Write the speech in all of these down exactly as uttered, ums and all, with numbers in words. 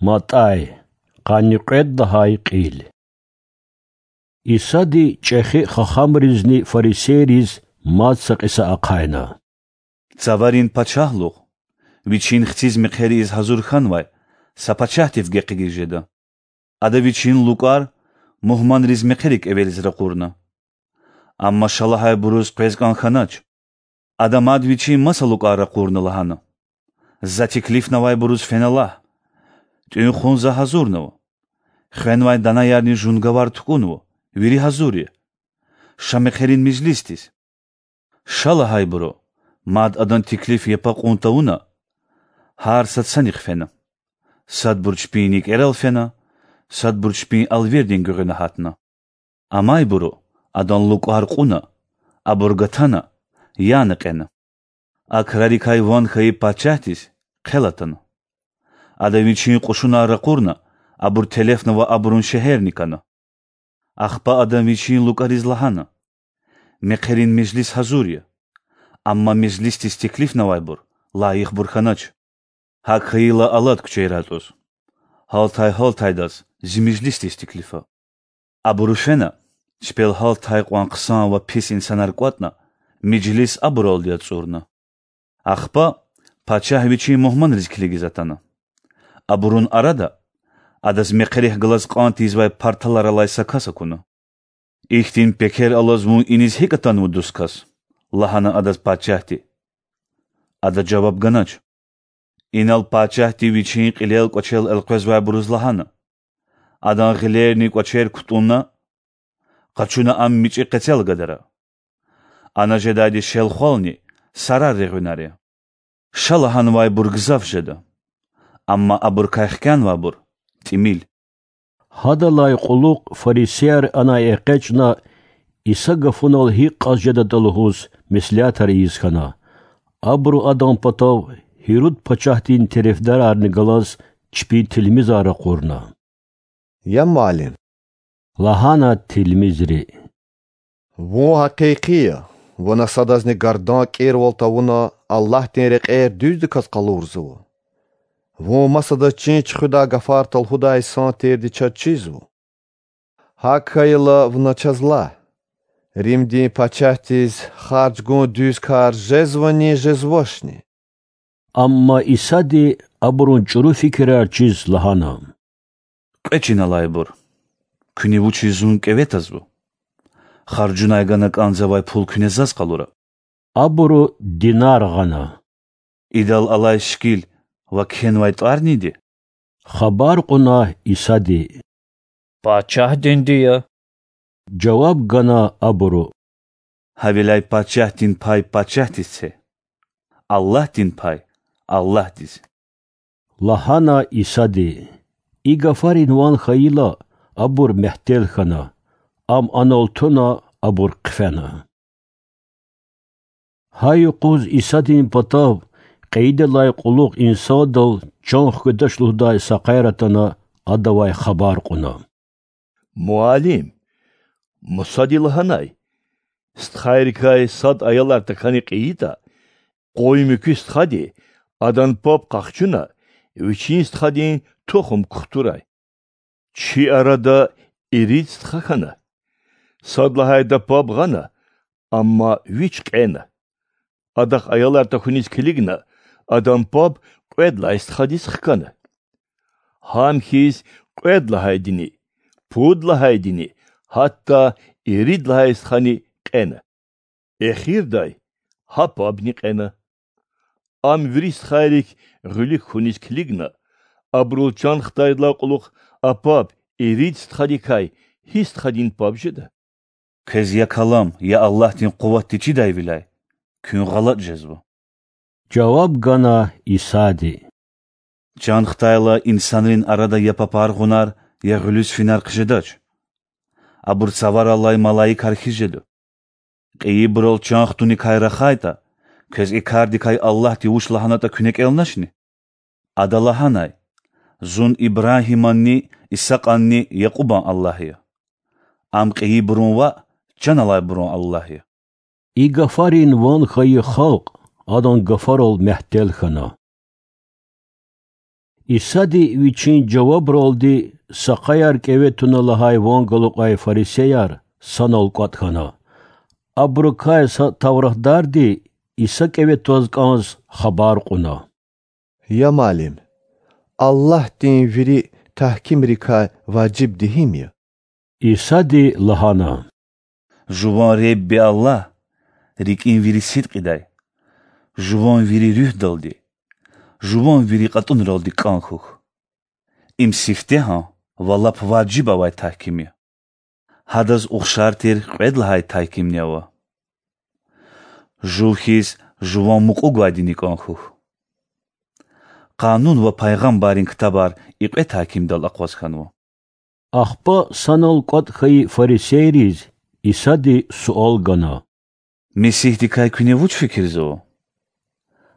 МатӀай, къанни кьвед лагьай кьил. Исади чӀехи хахамризни фарисейриз мад са кьиса ахъайна: Цаварин пачагьлугъ вичин хциз мехъер ийиз гьазур хьанвай са пачагьдив гекъигиз жеда. Ада вичин лукӀар мугьманриз мехъерик кӀевелиз ракъурна. Амма ша лагьайбуруз къвез кӀан хьанач. Ада мад вичин маса лукӀар ракъурна лагьана: За теклифнавайбуруз фена лагь: ТӀуьн-хъун за гьазурнава. Хвенвай данаярни жунгавар тукӀунва, вири гьазур я. Ша мехъерин межлисдиз. Ша лагьайбуру, мад адан теклиф япа кьун тавуна, гьар сад санихъ фена. Садбур чпин никӀерал фена, садбур чпин алвердин гуьгъуьна гьатна. Амайбуру адан лукӀар кьуна, абур гатана, яна кьена. А крарикай ван хьайи пачагьдиз хъел атана. Ада вичин кьушунар ракъурна, абур телефна ва абурун шегьерни кана. Ахпа ада вичин лукӀариз лагьана: Мехъерин межлис гьазур я, амма межлисдиз теклифнавайбур лайихбур хьанач. ГьакӀ хьайила алад куьчейра атӀуз. Гьалтай-гьалтайдаз зи межлисдиз теклифа. Абуру фена, чпел гьалтай кьван хъсан ва пис инсанар кӀватӀна, межлис абуралди ацӀурна. Ахпа пачагь вичин мугьманриз килигиз атана. Абурун арада адаз мехъерихъ галаз кьан тийизвай парталар алай са кас акуна. Ихьтин пекер алаз вун иниз гьикӀ атанва, дуст кас? лагьана адаз пачагьди. Ада жаваб ганач. Инал пачагьди вичин кьилел-кӀвачел элкъвезвайбуруз лагьана: Адан гъилерни кӀвачер кутӀунна, къачуна ам мичӀи къецел гадара. Ана жедайди шелхвални сарар регъуьнар я. Ша лагьанвайбур гзаф жеда, амма абурукай хкянвайбур тӀимил. Гьадалай кьулухъ фарисеяр анай экъечӀна, Иса гафунал гьикӀ кьаз жедатӀа лугьуз меслятар ийиз хьана. Абуру адан патав Гьируд пачагьдин терефдарарни галаз чпин тилмизар ракъурна. Я муаллим, лагьана тилмизри, вун гьакъикъи я, вуна садазни гардан кӀирвал тавуна Аллагьдин рекьер дуьздаказ къалурзава. Вун масадаз чин чуьхуьдай гафар талгьудай инсан тирди чаз чизва. ГьакӀ хьайила вуна чаз лагь: Римдин пачагьдиз харж гун дуьз кар жезвани, жезвачни? Амма Исади абурун чӀуру фикирар чиз лагьана: Кьве чин алайбур. Куьне вучиз зун кӀеве тазва? Харжунай гана кӀанзавай пул куьне заз къалура. Абуру динар гъана. Идал алай шикил ва кхьенвай тӀвар неди? Хабар кьуна Исади: Пачагьдинди я. Жаваб гана абуру: Гьавиляй пачагьдин пай пачагьдиз це, Аллагьдин пай Аллагьдиз. Лагьана Исади. И гафарин ван хьайила, абур мягьтел хьана, ам анал туна, абур хъфена. Гьа юкъуз Исадин патав кьейидалай кьулухъ инсандал чан хкведач лугьудай са къайра атана, адавай хабар кьуна: Муаллим, Мусади лагьанай: стхайрикай сад аялар тахьана кьейитӀа, къуй муькуь стхади, адан паб къахчуна, вичин стхадин тухум кухтурай. Чи арада ирид стха хьана. Сад лагьайда паб гъана, амма вич кьена. Адахъ аялар тахьуниз килигна, адан паб кьвед лагьай стхадиз хкана. Гьам хьиз кьвед лагьайдини, пуд лагьайдини, гьатта ирид лагьай стхани кьена. Эхирдай гьа пабни кьена. Ам вири стхайрик гъуьлуьк хьуниз килигна, абурал чан хтайдалай кьулухъ а паб ирид стхадикай гьи стхадин паб жеда? Квез я калам, я Аллагьдин къуватди чидайвиляй куьн гъалатӀ жезва. Жаваб гана Исади: Чан хтайла, инсанрин арада я папар гъунар, я гъуьлуьз финар хъжедач. Абур цавараллай малаикар хьиз жеда. Кьейибурал чан хтуникай рахайтӀа, квез и кардикай Аллагьди вуч лагьанатӀа куьне кӀелначни? Ада лагьанай: Зун Ибрагьиманни, Исакьанни, Якьубан Аллагь я. Ам кьейибурун ва чан алайбурун Аллагь я. И гафарин ван хьайи халкь адан гафарал мягьтел хьана. Исади Вичин жавабралди са къаяр кӀеве туна лагьай ван галукьай фарисеяр санал кӀватӀ хьана. Абурукай са тавратдарди Иса кӀеве тваз кӀанз хабар кьуна: Я Муаллим! Аллагьдин вири тагькимрикай важибди гьим я? Исади лагьана: Жуван Худа Аллагь рикӀин вири сидкьидай, жуван вири руьгьдалди, жуван вири кьатӀунралди кӀан хьухь. Им сифтегьан ва лап важиб авай тагьким я. Гьадаз ухшар тир кьвед лагьай тагькимни ава: Жув хьиз жуван мукьув гвайдини кӀан хьухь. Къанун ва пайгъамбаррин ктабар и кьве тагькимдал акъваз хьанва. Ахпа санал кӀватӀ хьайи фарисейриз Исади суал гана: Месигьдикай куьне вуч фикирзава?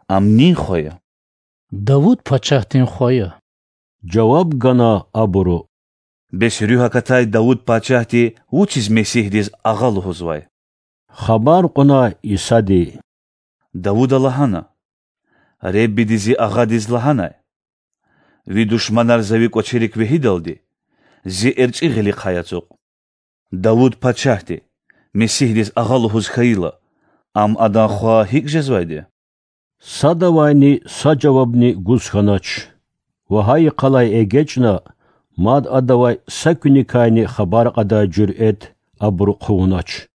Ам нин хва я? Давуд пачагьдин хва я,– жаваб гана абуру. Бес руьгь акатай Давуд пачагьди вучиз Месигьдиз агъа лугьузвай? хабар кьуна Исади. Давуда лагьана: Худани зи агъадиз лагьанай: Ви душманар за ви кӀвачерик вегьидалди, зи эрчӀи гъилихъай ацукь. Давуд пачагьди Месигьдиз агъа лугьуз хьайила, ам адан хва гьикӀ жезвайди я? Садавайни са жавабни гуз хьанач ва гьа йикъалай эгечӀна, мад адавай са куьникайни хабар кьадай жуьрэт абуру хъувунач.